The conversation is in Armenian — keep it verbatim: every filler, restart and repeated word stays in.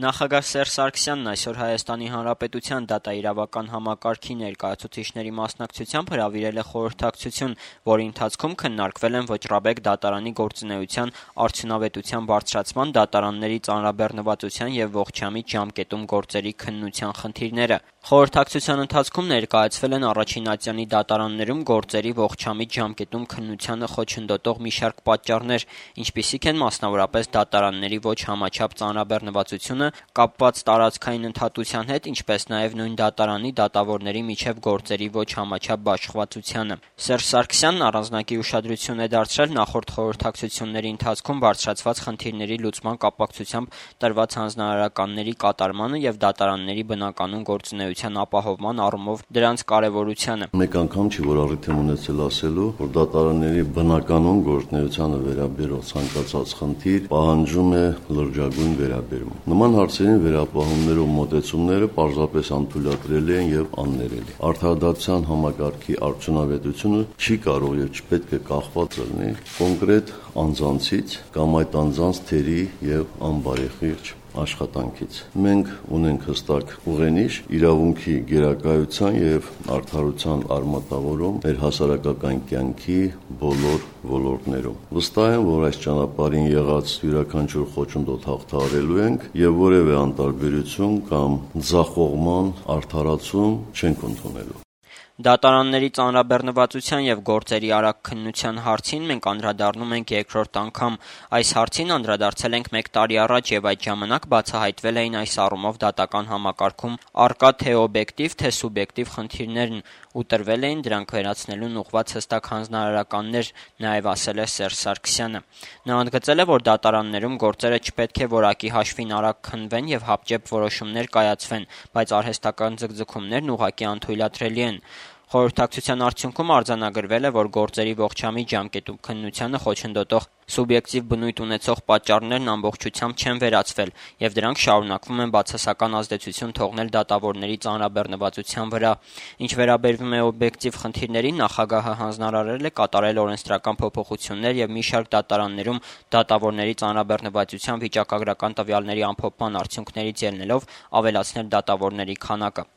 Նախագահ Սերժ Սարգսյանն այսօր Հայաստանի Հանրապետության դատաիրավական համակարգի ներկայացուցիչների մասնակցությամբ հրավիրել է խորհրդակցություն, որի ընթացքում քննարկվել են Ոճռաբեկ դատարանի գործունեության արդյունավետության բարձրացման, դատարանների ծանրաբեռնվածության և ողջամիտ ժամկետում գործերի քննության խնդիրները։ Խորհրդակցության ընթացքում ներկայացվել են առաջին ատյանի դատարաններում գործերի ողջամիտ ժամկետում քննությանը խոչընդոտող մի շարք պատճառներ, ինչպիսիք են մասնավորապես դատարանների ոչ համաչափ ծանրաբեռնվածությունը, կապված տարածքային ընդհատության հետ, ինչպես նաև նույն դատարանի դատավորների միջև գործերի ոչ համաչափ բաշխվածությանը։ Սերժ Սարգսյանն առանձնակի ուշադրություն է դարձրել նախորդ խորհրդակցությունների ընթացքում բարձրացված խնդիրների լուծման կապակցությամբ տրված հանձնարարականների կատարմանը և դատարանների բնականոն գործունեության ապահովման առումով դրանց կարևորությանը։ Մեկ անգամ չի, որ առիթ եմ ունեցել ասելու, որ դատարանների բնականոն գործունեությանը վերաբերող ցանկացած խնդիր պահանջում է լրջագույն վերաբերում։ Նման հարցերին վերապահումներով մոտեցումները պարզապես անթույլատրելի են և աններելի։ Արդարադատության համակարգի արդյունավետությունը չի կարող և չպետք է կախված լինի կոնկրետ անձանցից կամ այդ անձանց թերի և անբարեխիղճ աշխատանքից։ Մենք ունենք հստակ ուղենիշ իրավունքի գերակայության և արդարության արմատավորում մեր հասարակական կյանքի բոլոր ոլորտներում։ Վստահ եմ, որ այս ճանապարհին եղած յուրաքանչյուր խոչընդոտ հաղթահարելու ենք և որևէ անտարբերություն կամ ձախողման արդարացում չենք ընդունելու։ Դատարանների ծանրաբեռնվածության և գործերի արագ քննության հարցին մենք անդրադառնում ենք երկրորդ անգամ։ Այս հարցին անդրադարձել ենք մեկ տարի առաջ և այդ ժամանակ բացահայտվել էին այս առումով դատական համակարգում առկա թե օբյեկտիվ, թե սուբյեկտիվ խնդիրներն ու տրվել էին դրանք վերացնելուն ուղղված հստակ հանձնարարականներ, նաև ասել է Սերժ Սարգսյանը։ Նա ընդգծել է, որ դատարաններում գործերը չպետք է որակի հաշվին արագ քննվեն և հապճեպ որոշումներ կայացվեն, բայց արհեստական ձգձգումներն ուղղակի անթույլատրելի են։ Խորհրդակցության արդյունքում արձանագրվել է, որ գործերի ողջամիտ ժամկետում քննությանը խոչընդոտող սուբյեկտիվ բնույթ ունեցող պատճառներն ամբողջությամբ չեն վերացվել և դրանք շարունակվում են բացասական ազդեցություն թողնել դատավորների ծանրաբեռնվածության վրա։ Ինչ վերաբերում է օբյեկտիվ խնդիրներին, նախագահը հանձնարարել է կատարել օրենսդրական փոփոխություններ և մի շարք դատարաններում դատավորների ծանրաբեռնվածության վիճակագրական տվյալների ամփոփման արդյունքներից ելնելով ավելացնել դատավորների քանակը։